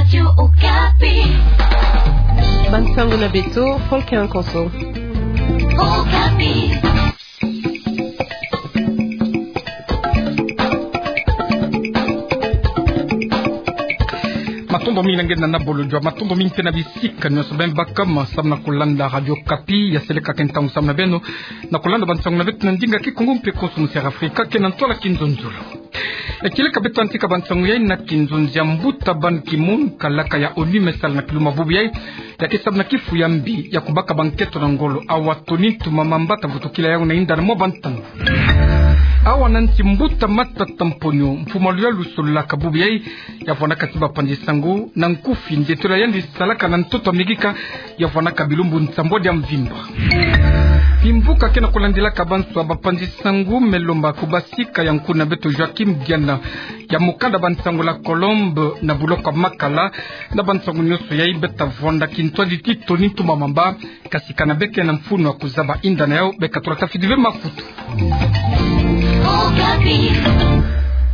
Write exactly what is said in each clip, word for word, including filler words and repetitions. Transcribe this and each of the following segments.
Radio Okapi. Bansango na beto, Paul Kiankonso. Okapi. Matondo mingi na nge na Bolodjwa, matondo mingi mpe na bisika nyonso beno baka ma samu na kulanda Radio Okapi. Ya seleka ke ntangu samu na beno na kulanda bansango na beto na ndinga Kikongo mpe konso musi ya Afrika, ke na ntwala Kinzonzolo. Ya kieleka beto yantika bansango yai na kinzonzi ya mbuta Ban Ki-moon, kalaka ya ONU me sala na kilumbu bubu yai, ya ke samu na kifu ya mbi ya kubaka bankento na ngolo. Awa Tony Ntumamamba ta vutukila yau na yinda na mwa bantangu. Awa na nsi, mbuta Matata Mponyo, mfumu a luyalu sololaka bubu yai, ya vwanaka ti bapanzi sango na nkufi nzietolo ya yandi salaka na ntoto Amerika, ya vwanaka bilumbu nsambwadi ya mvimba. Kimvuka ke na kulandilaka banswa, bapanzi sango me lomba kubasika ya nkuna beto Joachim Diana ya mukanda bansango La Colombe na buloko ya Makala. Na bansango nyonso yai beta vwanda kintwadi ti Tony Ntumamamba, kasi kana beke na mfunu ya kuzaba yinda na yau, beka tula tafidi ve mafutu.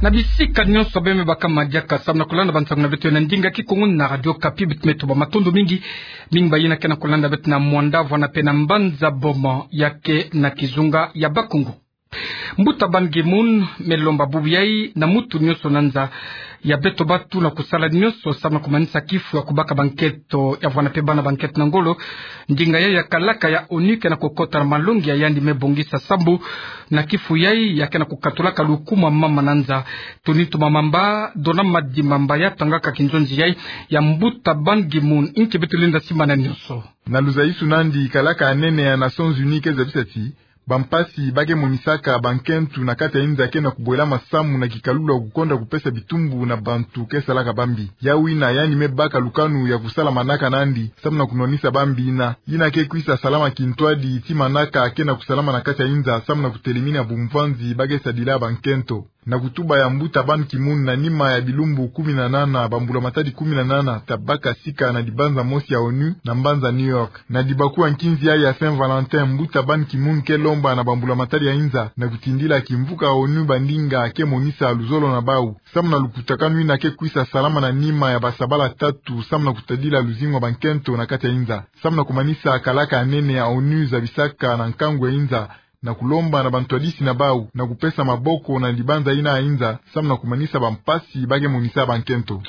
Na bisika nyonso beno me baka madiaka samu na kulanda bansango na beto na ndinga Kikongo na Radio Okapi, beto me tuba matondo mingi. Mingi bayina ke na kulanda beto na Muanda, vwanda mpe na Mbanza Boma, ya ke na kizunga ya Bakongo. Mbuta Ban Ki-moon me lomba bubu yai na mutu nyonso na nza ya beto batu na kusala nyonso samu na kumanisa kifu ya kubaka bankento, ya vwanda mpe bana bankento na ngolo. Ndinga yai ya kalaka ya ONU ke na kukota na malongi ya yandi me bongisa sambu na kifu yai ya ke na kukatulaka lukumu ya mama na nza. Tony Ntumamamba, Dona Madimba ya tangaka kinzonzi yai ya mbuta Ban Ki-moon, nki beto lenda simbana nyonso. Na luzayisuna nandi, kalaka ya nene ya Nations Unies ke zabisa ti bampasi ba ke monisaka bankento na kati ya inza ke na kubwela masamu na kikalulu ya kukonda kupesa bitumbu na bantu ke salaka bambi. Yau yina yandi me baka lukanu ya kusala manaka na yandi samu na kunwanisa bambi yina. Yina ke kwisa salama kintwadi ti manaka ke na kusalama na kati ya inza samu na kutelemina bumvanzi ba ke sadila bankento. Na kutuba ya mbuta Ban Ki-moon, na nima ya bilumbu kumi na nana, bambula matadi kumi na nana ta baka sika na dibanza mosi ya ONU na mbanza New York. Na dibakula nkinzi yai ya Saint Valentin, mbuta Ban Ki-moon ke lomba na bambula matadi ya inza na kutindila kimvuka ONU bandinga ke monisa luzolo na bau samu na lukutakanu yina ke kwisa salama na nima ya basabala tatu samu na kutadila luzingu ya bankento na kati ya inza, samu na kumanisa kalaka ya nene ya ONU zabisaka na nkangu ya inza na kulomba na bantwadisi na bau na kupesa maboko na dibanza yina ya inza samu na kumanisa bampasi ba ke monisa bankento.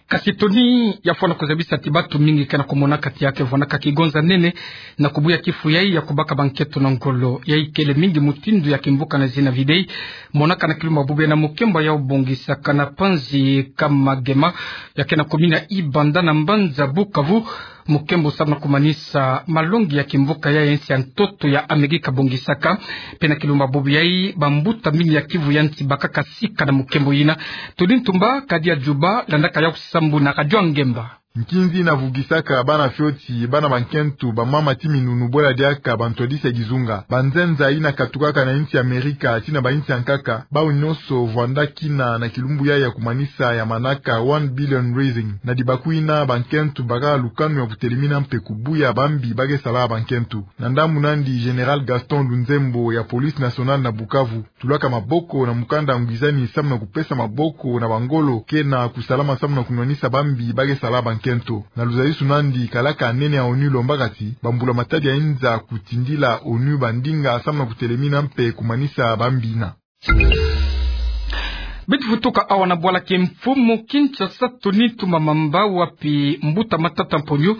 Kasi Tony, ya fwana kuzabisa ti batu mingi ke na kumonaka ti ya ke vwanaka kigonza nene na kubuya kifu yai ya kubaka bankento na ngolo. Yai kele mingi mutindu ya kimvuka na zina videi monaka na kilumbu bubu yai na mukembo ya obongisaka na panzi Kamagema, ya ke na komini ya Ibanda na mbanza Bukavu. Mukembo samu na kumanisa malongi ya kimvuka yai, nsi ya ntoto ya Amerika bongisaka. Mpe na kilumbu bubu yai, bambuta mingi ya Kivu ya Nsi bakaka sika na mukembo yina. Tony Ntumba, kadi ya Juba, landaka yau sambu na Radio Ngemba. Nkinzi yina vugisaka bana fioti, bana bankento, bamama ti minunu, bwela diaka bantwadisi ya kizunga. Banzenza yina katukaka na insi ya Amerika tii na bainsi ya nkaka, bau nyonso vwandakina na kilumbu yai ya kumanisa ya manaka One Billion Rising. Na dibaku yina, bankento baka lukanu ya kutelemina mpe kubuya bambi ba ke sala bankento. Na ndambu nandi, Général Gaston Lunzembo ya Police Nationale na Bukavu tulaka maboko na mukanda ngwizani samu na kupesa maboko na bangolo ke na kusalama samu na kunwanisa bambi ba ke sala bankento. Na luzayisuna nandi, kalaka ya nene ya ONU lombaka ti bambula matadi ya inza kutindila ONU bandinga samu na kutelemina mpe kumanisa bambi yina. Beto vutuka awa na bwala kimfumu Kinshasa, Tony Ntumamamba, wapi mbuta Matata Mponyo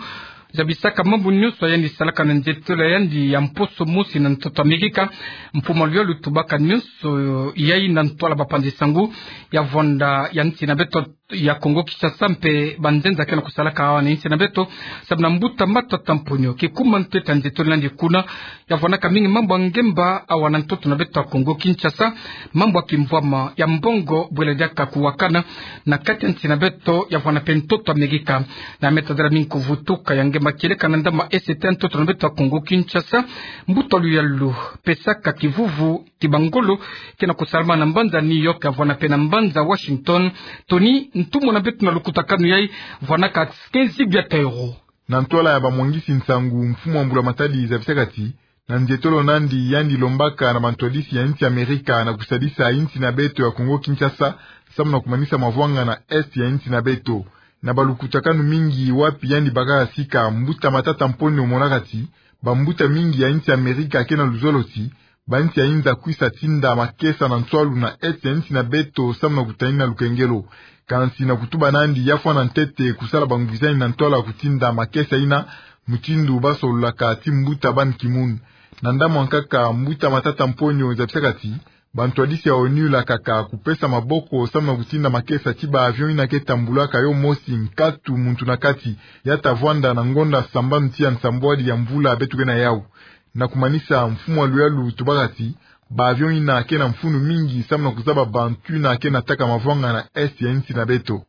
zabisaka mambu nyonso ya yandi salaka na nzietolo ya yandi ya mposo mosi na ntoto Amerika. Mfumu a luyalu tubaka nyonso yai na ntwala bapanzi sango ya vwanda ya nsi na beto ya Kongo Kinshasa mpe banzenza ke na kusalaka awa na nsi na beto samu na mbuta Matata Mponyo. Kikuma ntete ya nzietolo nandi kuna, ya vwanaka mingi mambu ya ngemba awa na ntoto na beto ya Kongo Kinshasa, mambu ya kimvwama ya mbongo bwela diaka kuwakana na kati ya nsi na beto ya vwanda mpe ntoto Amerika. Na me tadala mingi kuvutuka ya ngemba kieleka na ndambu ya S T ya ntoto na beto ya Kongo Kinshasa, mbuta a luyalu pesaka kivuvu ti bangolo ke na kusalama na mbanza New York ya vwanda mpe na mbanza Washington. Tony, ntumwa na beto na lukutakanu yai vwanaka quinze milliards d'euros. Na ntwala ya bamwangisi nsangu, mfumu a mbula matadi zabisaka ti na nzietolo nandi, yandi lombaka na bantwadisi ya nsi Amerika na kusadisa nsi na beto ya Kongo Kinshasa samu na kumanisa mavwanga na Est ya nsi na beto. Na balukutakanu mingi wapi yandi bakaka sika mbuta Matata Mponyo omonaka ti bambuta mingi ya insi Amerika ke na luzolo ti bansi ya inza kwisa tinda makesa na nswalu na esti ya insi na beto samu na kutanina lukengelo. Kansi na kutuba nandi, ya fwana ntete kusala bangwizani na ntwala kutinda makesa yina, mutindu basololaka ti mbuta Ban Ki-moon. Na ndambu ya nkaka, mbuta Matata Mponyo zabisaka ti bantwadisi ya ONU lakaka kupesa maboko samu na kutinda makesa ti ba avion yina ke tambulaka yo mosi nkatu muntu na kati, ya ta vwanda na ngonda sambanu ti ya nsambwadi ya mvula beto ke na yau. Na kumanisa, mfumu wa luyalu tubaka ti ba avion yina ke na mfunu mingi samu na kuzaba bantu yina ke na taka mavwanga na esti ya insi na beto.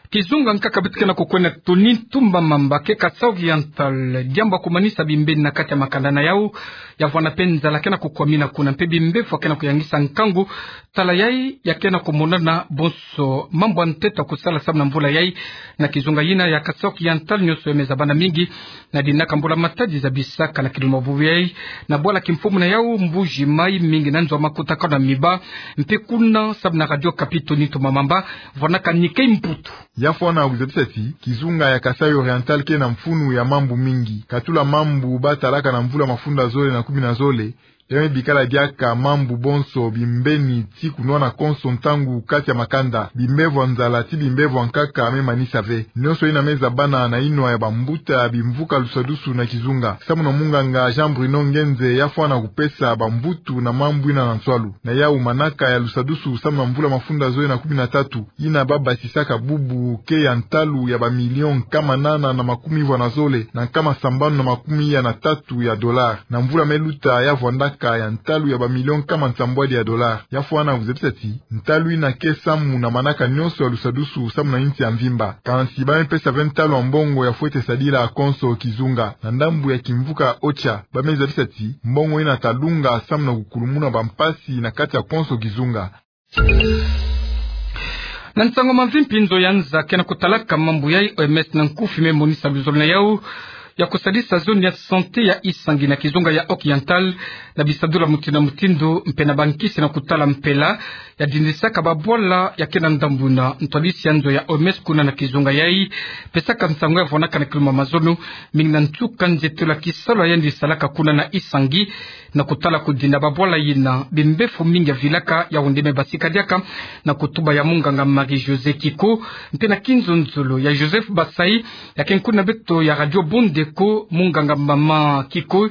Kizunga nkaka beto ke na kukwenda Tony Ntumba Mamba ke Kasaï Oriental, diambu ya kumanisa bimbeni na kati ya makanda na yau, ya vwanda mpe nzala ke na kukwamina kuna mpe bimbevo ke na kuyangisa nkangu. Tala yai ya ke na kumonana bonso mambu ya ntete ya kusala samu na mvula yai. Na kizunga yina ya Kasaï Oriental, nionso ya me zabana mingi na dina ka mbula-matadi zabisaka na kilumbu bubu yai, na bwala kimfumu na yau Mbuji-Mayi, mingi na nzo ya makutakanu ya miba mpe kuna samu na Radio Okapi, Tony Ntumba Mamba vwanaka Nikkei Mputu. Ya fwana kuzabisa ti kizunga ya Kasaï Oriental ke na mfunu ya mambu mingi. Katula mambu batalaka na mvula mafunda zole na kumi na zole, ya me bikala diaka mambu bonso bimbeni ti kunwana konso ntangu kati ya makanda. Bimbevo ya nzala ti bimbevo ya nkaka me manisa ve. Nionso yina me zabana na yinwa ya bambuta bimvuka lusadusu na kizunga. Samu na munganga Jean Bruno Ngenze, ya fwana kupesa bambutu na mambu yina na nswalu. Na yau, manaka ya lusadusu samu na mvula mafunda zole na kumi na tatu, yina babatisaka bubu, ke ya ntalu ya bamilion nkama nana na makumi vwa na zole na nkama sambanu na makumi ya na tatu ya dollar. Na mvula me luta, ya vwandaka ya ntalu ya bamilion nkama nsambwadi ya dollar. Ya fwana kuzabisa ti ntalu yina ke samu na manaka nionso ya lusadusu samu na insi ya mvimba. Kansi ba me pesa ve ntalu ya mbongo ya fwete sadila konso kizunga. Na ndambu ya kimvuka OCHA, ba me zabisa ti mbongo yina ta lunga samu na kukulumuna bampasi na kati ya konso kizunga. Na nsangu ya mavimpi, nzo ya nza ke na kutalaka mambu yai, O M S na nkufi, me monisa luzolo na yau ya kusadisa zone ya santé ya Isangi na kizunga ya Oriental, na bisadulu ya mutindu na mutindu mpe na bankisi na kutala mpela ya dindisaka babwala ya ke na ndambu yina. Ntwadisi ya nzo ya O M S kuna na kizunga yai pesaka nsangu ya vwanaka na kilumbu ya mazono, mingi na nsuka nzietolo ya kisalu ya yandi salaka kuna na Isangi, na kutala kudinda babwala yina bimbevo mingi ya vilaka. Yau nde me basika diaka na kutuba ya munganga Marie-Josée Kiko, mpe na kinzonzolo ya Joseph Basai, ya ke nkuna beto ya Radio Bondeko. Munganga mama Kiko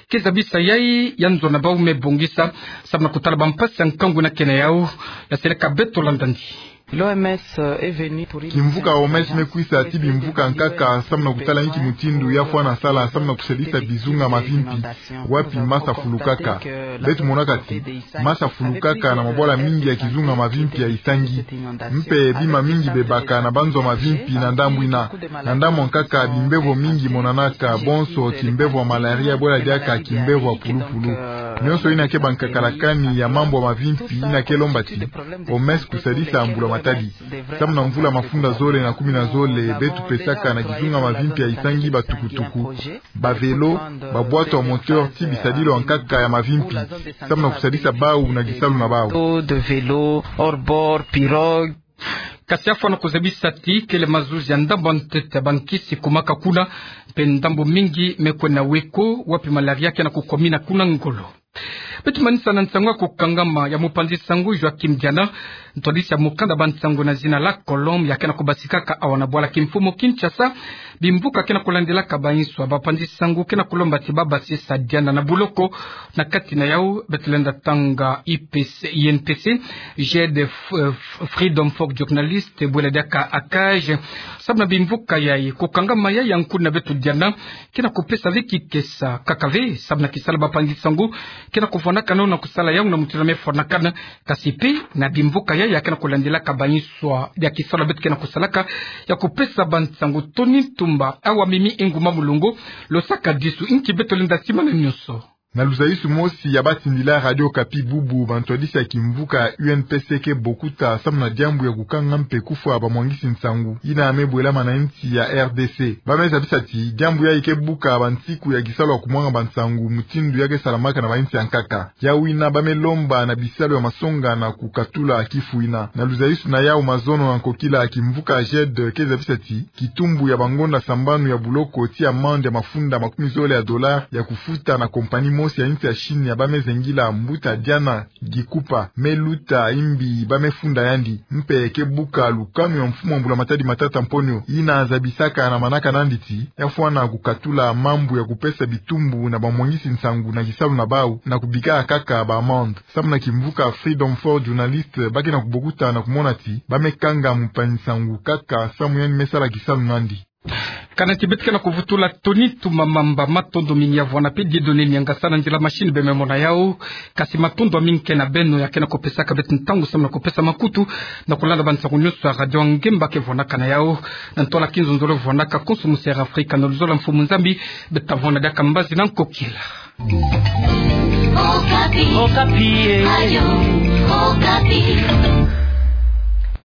ke zabisa yai ya nzo na bau me bongisa samu na kutala bampasi ya nkangu yina ke na yau. Ya seleka beto, landani. L'O M S est venu pour une mission d'urgence. Kimvuka O M S me kwisa ti bimvuka nkaka samu na kutala inki mutindu ya fwana sala samu na kusadisa bizunga mavimpi wapi masa fulukaka. Beto monaka ti masa fulukaka na mabwala mingi ya kizunga mavimpi ya Isangi. Mpe bima mingi bebaka na banzo mavimpi na ndambu yina. Na ndambu ya nkaka, bimbevo mingi monanaka, bonso kimbevo ya malaria, bwela diaka kimbevo ya pulupulu. Nionso yina ke bankaka lakani ya mambu ya mavimpi yina ke lomba ti O M S kusadisa mbula-matadi. Samu na mvula mafunda zole na kumi na zole, beto pesaka na kizunga mavimpi ya Isangi batukutuku, bavelo, babwatu ya moteur ti bisadilu ya nkaka ya mavimpi, samu na kusadisa bau na kisalu na bau. Bateau, de vélo, hors-bord, pirogue. Kasi ya fwana kuzabisa ti kele mazuzi ya ndambu ya ntete ya bankisi kumaka kuna, mpe ndambu mingi me kwenda weko, wapi malaria ke na kukwamina kuna ngolo. Beto manisa na nsangu ya kukangama ya mupanzi-nsangu Joachim Diana, ntwadisi ya mukanda bansangu na zina La Colombe, ya ke na kubasikaka awa na bwala kimfumu Kinshasa. Bimvuka ke na kulandilaka bayinswa, bapanzi-nsangu ke na kulomba ti babasisa dianda na buloko. Na kati na yau, beto lenda tanga I P C, I N P C, Jeunes F-, F-, Freedom for Journalistes, bwela diaka ACAJ. Samu na bimvuka yai, kukangama yai ya nkuna beto diana ke na kupesa ve kikesa. Kaka ve, samu na kisalu bapanzi-nsangu ke na kuvwanakana na kusala yau na mutindu me fwanakana, kasi mpe na bimvuka yai ya ke na kulandilaka bayinswa ya kisalu beto ke na kusalaka ya kupesa bansangu. Tony Ntumba, awa mimi Nguma Mulongo, lo saka disu, inki beto lenda simana nionso. Na luzayusu mosi ya batindila Radio Okapi bubu, bantwadisi ya kimvuka U N P C ke bokuta samu na diambu ya kukanga mpe kufwa bamwangisi nsangu, yina me bwela mana insi ya R D C. Ba me zabisa ti diambu yayi ke buka bansiku ya kisalu ya kumwanga bansangu mutindu ya ke salamaka na bayinsi ya nkaka. Yawu yina ba me lomba na bisalu ya masonga na kukatula kifu yina. Na luzayusu na yawu mazono na nkokila, kimvuka JED ke zabisa ti kitumbu ya bangonda sambanu ya buloko ti amande ya mafunda makumi zole ya dollars ya kufuta na compagnie mosi ya insi ya Chine ya ba me zengila mbuta diana gikupa me luta imbi ba me funda yandi. Mpe ke buka lukanu ya mfumu wa Mbula Matadi Matata Mponyo, yina zabisaka na manaka nandi ti ya fwana kukatula mambu ya kupesa bitumbu na bamwangisi nsangu na kisalu na bawu na kubika kaka ba amande. Samu na kimvuka Freedom for Journalist, ba ke na kubokuta na kumona ti ba me kanga mumpangi nsangu kaka samu yandi me sala kisalu nandi. Kana ti beto ke na kuvutula, Tony Tumamamba, matondo mingi ya vwanda mpe Dieudonné Niangasa na nzila machine be me mona yawu. Kasi matondo ya mingi ke na beno ya ke na kupesaka beto ntangu samu na kupesa makutu na kulanda bansangu nyonso ya Radio Ngemba ke vwandaka na yawu. Na ntwala kinzonzolo vwandaka konso monsoni Afrika, na luzolo ya Mfumu Nzambi beto ta vwanda diaka mbazi na nkokila. Okapi. Okapi, eh. Radio Okapi.